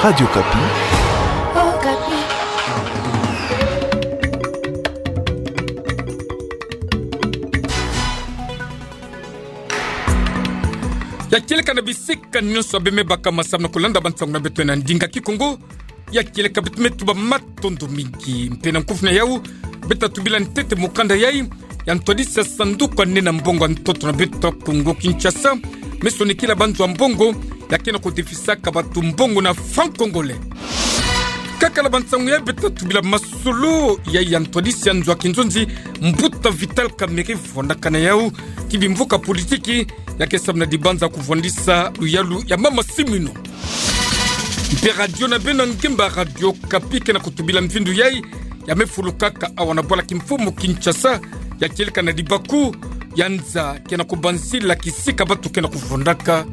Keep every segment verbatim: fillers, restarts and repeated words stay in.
Radio Okapi. Ya kieleka na bisika nyonso abe me baka masamu na kulanda bansangu na beto na ndinga Kikongo. Ya kieleka beto me tuba matondo mingi. Mpe na nkufi na yau, beta tubila ntete mukanda yai ya ntwadisi ya sanduku ya nene ya mbongo ya ntoto na beto Kongo Kinshasa, me sonikila banzo ya mbongo ya ke na kudefisaka batu mbongo na franc congolais. Kaka na bansangu yai beta tubila masolo yai ya ntwadisi ya nzo ya kinzonzi, Mbuta Vital Kamerhe vwandaka na yau, ti bimvuka politiki ya ke samu na dibanza kuvwandisa luyalu ya mama Siminwa. Mpe radio na beno ya ngemba, Radio Okapi, ke na kutubila mvindu yai ya me fulukaka awa na bwala kimfumu Kinshasa, ya kieleka na libaku ya nza ke na kubanzila kisika batu ke na kuvwandaka.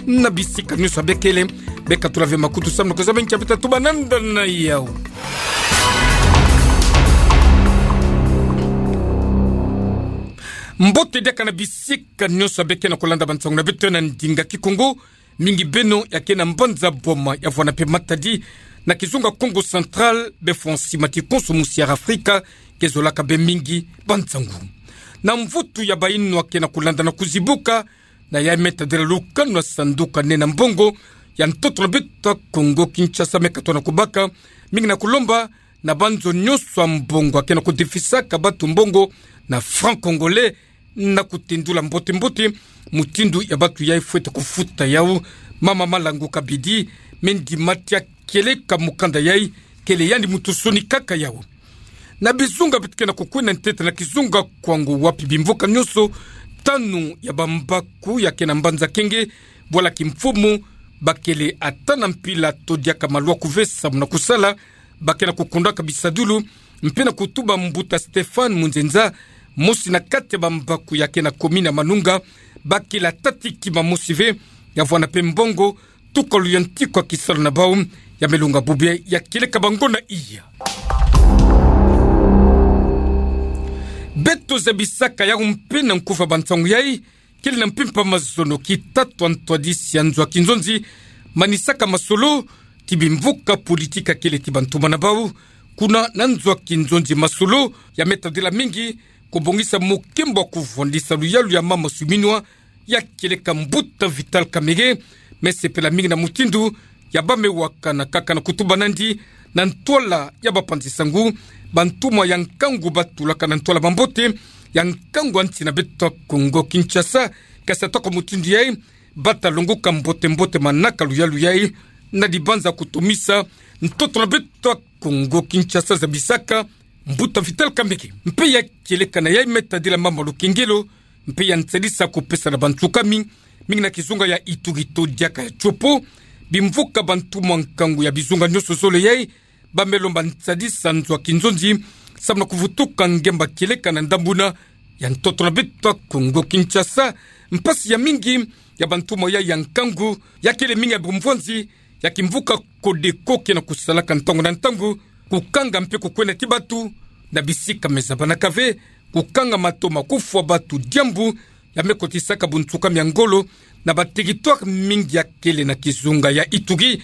Na bisika nyonso abe kele, beka tula ve makutu samu na kuzaba nkia beta tuba nanda na yau. Mbote diaka na bisika nyonso abe ke na kulanda bansangu na beto na ndinga Kikongo, mingi beno ya ke na mbanza Boma, ya vwanda mpe Matadi, na kizunga Kongo Central, be fwa nsi mati konso musi ya Afrika ke zolaka be mingi bansangu. Na mvutu ya bayinwa ke na kulanda na kuzibuka, na yai me tadila lukanu ya sanduku ya nene ya mbongo ya ntoto na beto Kongo Kinshasa, me katona kubaka mingi na kulomba na banzo nyonso ya mbongo ya ke na kudefisaka batu mbongo na franc congolais, na kutindula mbote-mbote mutindu ya batu yai fwete kufuta yau. Mama Malangu Kabidi, me ndima tia kieleka mukanda yai, kele yandi muntu sonikaka yau. Na bizunga beto ke na kukwenda ntete na kizunga Kwango, wapi bimvuka nyonso tanu ya bambaku ya ke na mbanza Kenge, bwala kimfumu, bakele ata na mpila to diaka malwa kuve samu na kusala, ba ke na kukundaka bisadulu, mpe na kutuba Mbuta Stéphane Munzenza, mosi na kati ya bambaku ya ke na commune ya Manunga, bakele ata ti kima mosi ve, ya vwanda mpe mbongo, tuka luyantiku ya kisalu na bau ya me longa bobia ya kieleka bango na iya. Beto zabisaka yau mpe na nkufi ya bansangu yai, kele na mpimpa mazono ki tatu ya ntwadisi ya nzo ya kinzonzi, manisaka masolo ti bimvuka politiki ya kele ti bantuma na bau kuna na nzo ya kinzonzi. Masolo ya me tadila mingi kubongisa mukimbo wa kuvwandisa luyalu ya mama Siminwa, ya kieleka Mbuta Vital Kamerhe me sepela mingi na mutindu ya ba me wakana, kaka na kutuba nandi na ntwala ya bapanzi sangu, bantumwa ya nkangu batulaka na ntwala mambote ya nkangu ya nsi na beto Kongo Kinshasa, kasi ata kwa mutindu yai, bata longoka mbote-mbote manaka luyalu yai, na dibanza kutomisa ntoto na beto Kongo Kinshasa, zabisaka Mbuta Vital Kamerhe. Mpe ya kieleka na yai me tadila mama Lukengelo, mpe ya nsadisa kupesa na bansukami, mingi na kizunga ya Ituri to diaka ya Tshopo, bimvuka bantumwa nkangu ya bizunga nyonso zole yai, ba me lomba nsadisa nzo ya kinzonzi, samu na kuvutuka ngemba kieleka na ndambuna ya ntoto na beto Kongo Kinshasa. Mpasi ya mingi ya bantumwa yai ya nkangu, ya kele mingi ya bumvwanzi ya kimvuka Codeco ke na kusalaka ntangu na ntangu, kukanga mpe kukwenda ti batu na bisika me zabanaka ve, kukanga matoma, kufwa batu, diambu ya me kotisaka bunsukami ya ngolo na ba territoire mingi ya kele na kizunga ya Ituri.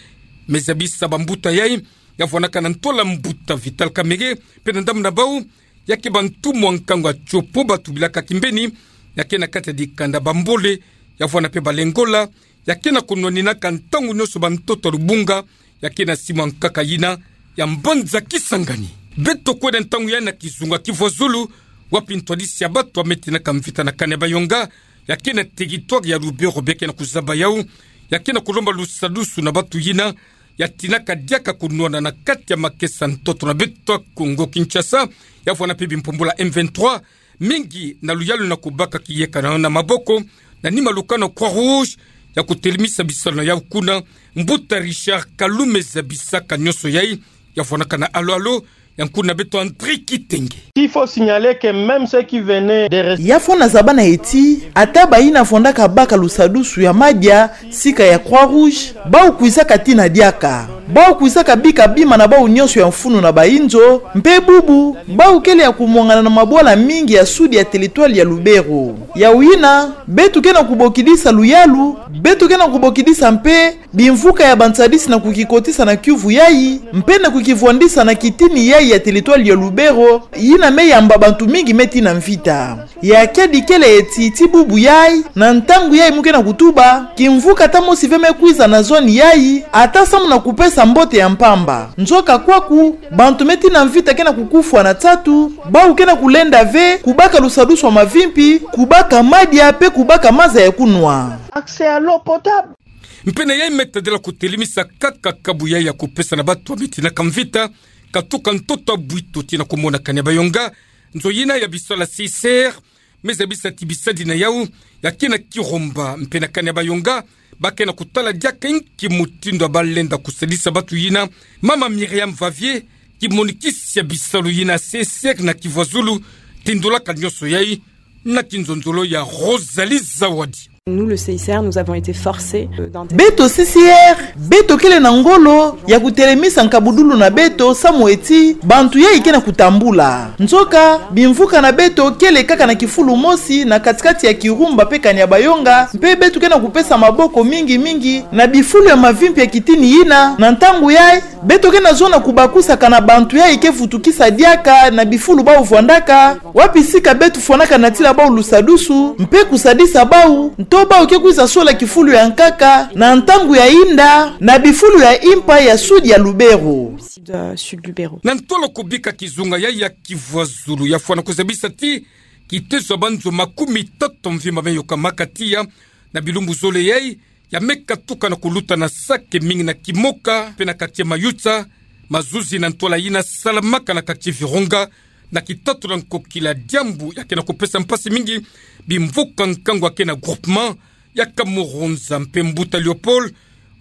Me zabisa bambuta yai ya vwanaka na ntwala Mbuta Vital Kamerhe, mpe na ndambu na bau, ya ke bantumwa nkangu ya Tshopo batubilaka kimbeni, ya ke na kati ya dikanda Bambole, ya vwanda mpe Balengola, ya ke na kunwaninaka ntangu nyonso bantoto ya lubunga, ya ke na simu ya nkaka yina ya mbanza Kisangani. Beto kwenda ntangu yai na kizunga Kivuazulu, wapi ntwadisi ya batu ya me tinaka mvita na kani ya Bayonga, ya ke na territoire ya Lubero, be ke na kuzaba yau, ya ke na kulomba lusadusu na batu yina ya tinaka diaka kunwana na kati ya makesa ntoto na beto Kongo Kinshasa, ya vwanda mpe bimpumbula M vingt-trois, mingi na luyalu na kubaka kiyeka na, na maboko, na nima lukanu Croix-Rouge ya kutelemisa bisalu na yau kuna. Mbuta Richard Kalu me zabisaka nyonso yai, ya vwanaka na alo-alo ya nkuna beto André Kitenge. Il faut signaler que même ceux qui venaient de rester... Ya fwana zaba na ye ti, ata bayina vwandaka baka lusadusu ya madia sika ya Croix-Rouge, bau kwizaka tina diaka. Bau kwizaka bika bima na bau nyonso ya mfunu na bainzo, mpe bubu bau kele ya kumwangana na mabwala mingi ya sud ya teritware ya Lubero. Yau yina, beto ke na kubokidisa luyalu, beto ke na kubokidisa mpe bimvuka ya bansadisi na kukikotisa na kiuvu yayi, mpe na kukivwandisa na kitini yayi ya teritware ya Lubero, yina me yamba bantu mingi me tina mvita. Ya kiadi kele eti ti bubu yayi, na ntangu yayi mu ke na kutuba, kimvuka ata mosi ve me kwiza na zone yayi, ata samu na kupesa mbote ya mpamba. Nzoka kwaku, bantu me tina mvita ke na kukufwa na nsatu, bau ke na kulenda ve, kubaka lusadusu wa mavimpi, kubaka madia, mpe kubaka maza ya kunwa. Accès à l'eau potable. Mpe na yayi me tadila kutelemisa kaka kabu yayi ya kupesa na bantu ba me tinaka mvita, katuka ntoto a Bwito tii na kumona kani ya Bayonga, nzo yina ya bisalu ya C I C R me zabisa ti bisadi na yau ya ke na kiromba, mpe na kani ya Bayonga, ba ke na kutala diaka inki mutindu ya ba lenda kusadisa bantu yina. Mama Myriam Vavier, kimonikisi ya bisalu yina C I C R na Kivuazulu, tindolaka nyonso yayi na kinzonzolo ya Rosalie Zawadi. Nous, le C I C R, nous avons été forcés, euh, d'intégrer. Beto C I C R, beto kele na ngolo ya kutelemisa nkabudulu na beto samu eti bantu yayi ke na kutambula. Nzoka, bimvuka na beto kele kaka na kifulu mosi na katikati ya Kirumba mpe kani ya Bayonga, mpe beto ke na kupesa maboko mingi mingi na bifulu ya mavimpi ya kitini yina, na ntangu yayi, beto ke na zona kubakusaka na bantu yayi ke vutukisa diaka na bifulu bau vwandaka, wapi sika beto fwanaka na tila bau lusadusu, mpe kusadisa bau, nto bau ke kwiza sola kifulu ya nkaka, na ntangu ya inda, na bifulu ya impa ya sud ya Lubero. Sud, euh, sud Lubero. Na ntolo kubika kizunga yayi ya Kivuazulu ya fwana kuzabisa ti kitezo ya banzo makumitatu mvimba me yokamaka tiya na bilumbu zole yayi, ya me katuka na kuluta na sake mingi na Kimoka, mpe na quartier Mayutsa, mazuzi na ntwala yina salamaka na quartier Virunga, na kitatu na nkokila, diambu ya ke na kupesa mpasi mingi bimvuka nkangu ya ke na groupement ya Kamuhunza. Mpe mbuta Léopold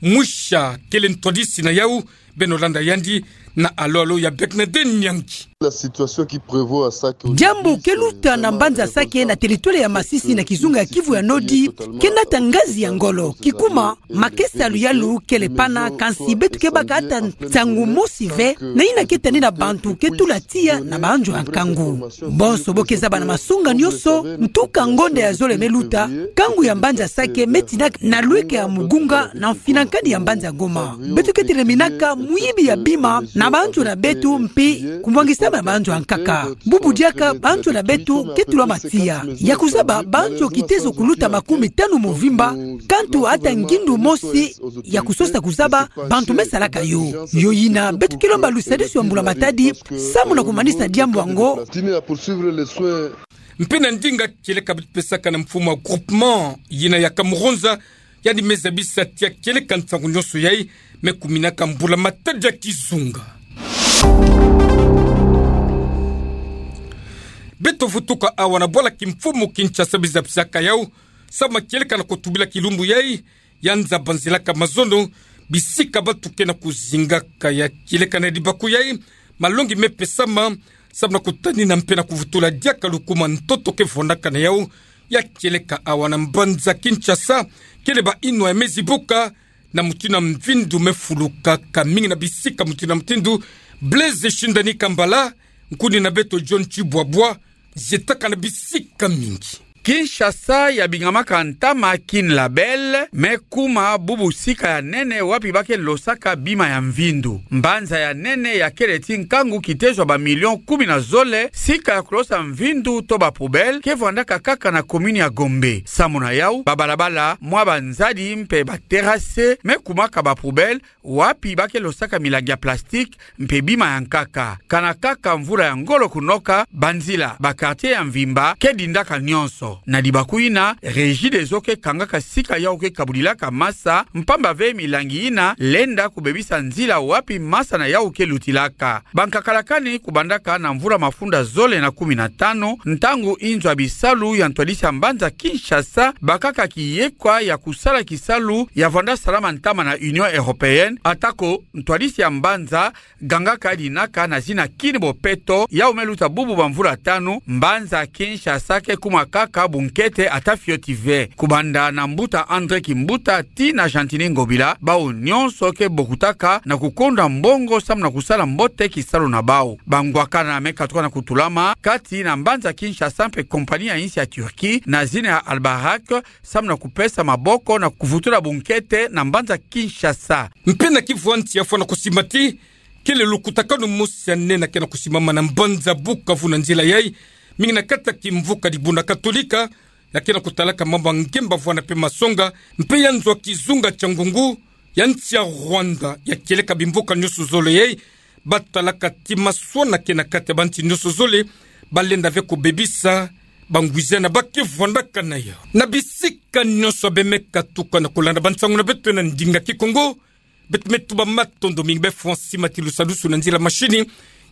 Mwisha kele ntwadisi na yau, beno landa yandi na alo-alo ya Bernadette Nyangi. La situation qui prévaut à Sake. Diambu ke luta na mbanza Sake na teritware ya Masisi na kizunga ya Kivu ya Nodi, ke nata ngazi ya ngolo. Kikuma, makesa ya luyalu kele pana, kansi beto ke baka ata nsangu mosi ve na yina ke tani na bantu ke tula tiya na banzo ya nkangu. Bonso bo ke zaba na masonga nyonso, ntuka ngonda ya zole me luta, nkangu ya mbanza Sake me tina na lweke ya mugunga na mfinankadi ya mbanza Goma. Beto ke tereminaka muyibi ya bima na banzo na beto mpe kumwangisama ya banzo ya nkaka. Bubu diaka banzo na beto ke tulama tiya. Ya kuzaba banzo kitezo kuluta makumitanu mvimba, kantu ata ngindu mosi ya kusosa kuzaba bantu me salaka yo. Yo yina, beto ke lomba lusadisu ya mbula matadi samu na kumanisa diambu yango. Mpe na ndinga kieleka beto pesaka na mfumu ya groupement yina ya Kamuhunza, yandi me zabisa ti ya kieleka nsangu nyonso yayi me kuminaka mbula matadi ya kizunga. Beto vutuka awa na bwala kimfumu Kinshasa, bizapisaka yau samu na kieleka na kutubila kilumbu yayi ya nza banzelaka mazono, bisika bantu ke na kuzingaka. Ya kieleka na libaku yayi, malongi me pesama samu na kutanina mpe na kuvutula diaka lukuma ntoto ke vwandaka na yau. Ya kieleka awa na mbanza Kinshasa, kele ba inwa ya me zibuka, na mutindu ya mvindu me fulukaka mingi na bisika mutindu na mutindu. Blaise Shindani Kambala, nkuni na beto John Tshibwabwa, zietaka na bisika mingi. Kinshasa ya bingamaka ntama Kin Label, me kuma bubu sika ya nene wapi ba ke losaka bima ya mvindu. Mbanza ya nene ya kele ti nkangu kitezo ya ba millions kumi na zole, sika ya kulosa mvindu to ba poubelles ke vwandaka kaka na commune ya Gombe. Samu na yau, ba balabala, mwa ba nzadi mpe ba terrasse me kumaka ba poubelles, wapi ba ke losaka milangi ya plastique mpe bima ya nkaka. Kana kaka mvula ya ngolo kunoka, banzila, ba quartier ya mvimba ke dindaka nyonso. Na libaku yina, Regideso ke kangaka sika yau ke kabudilaka masa, mpamba ve milangi yina lenda kubebisa nzila wapi masa na yau ke lutilaka. Bankaka lakani kubandaka na mvula mafunda zole na kumi na tanu, ntangu inzo ya bisalu ya ntwadisi ya mbanza Kinshasa bakaka kiyekwa ya kusala kisalu ya vwanda salama ntama na Union Européenne, atako ntwadisi ya mbanza gangaka dinaka na zina Kin Bopeto, yau me luta bubu ba mvula tanu, mbanza Kinshasa ke kuma kaka a bunkete ata fioti ve. Kubanda na mbuta André Kimbuta tii na Gentiny Ngobila, bawu nyonso ke bokutaka na kukonda mbongo samu na kusala mbote kisalu na bawu. Bangwakana me katuka na kutulama kati na mbanza Kinshasa mpe compagnie ya insi ya Turquie na zina ya Albarak, samu na kupesa maboko na kuvutula bunkete na mbanza Kinshasa. Mpe na kivwa nsi ya fwa na kusimba ti kele lukutakanu mosi ya nene ke na kusimbama na mbanza Bukavu na nzila yai, mingi na kati ya kimvuka Dibundu Katolika, ya ke na kutalaka mambu ya ngemba vwanda mpe masonga, mpe ya nzo ya kizunga kia ngungu ya nsi ya Rwanda, ya kieleka bimvuka nyonso zole yai, batalaka ti maswana ke na kati ya bansi nyonso zole, balenda ve kubebisa bangwiza na ba ke vwandaka na yau. Na bisika nyonso beno me katuka na kulanda bansangu na beto na ndinga Kikongo, beto me tuba matondo mingi. Bê Francis Matilusa Lusu na nzila mashini,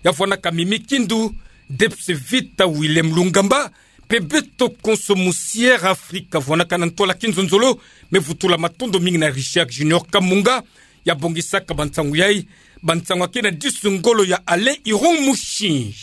ya vwandaka Mimi Kindu, Debs Vita, Willem Lungamba, mpe beto konso mu Sierra Africa vwandaka na ntwala kinzonzolo, me vutula matondo mingi na Richard Junior Kamunga, ya bongisaka bansangu yai, bansangu ya ke na disu ngolo ya Alain Iron Mushi.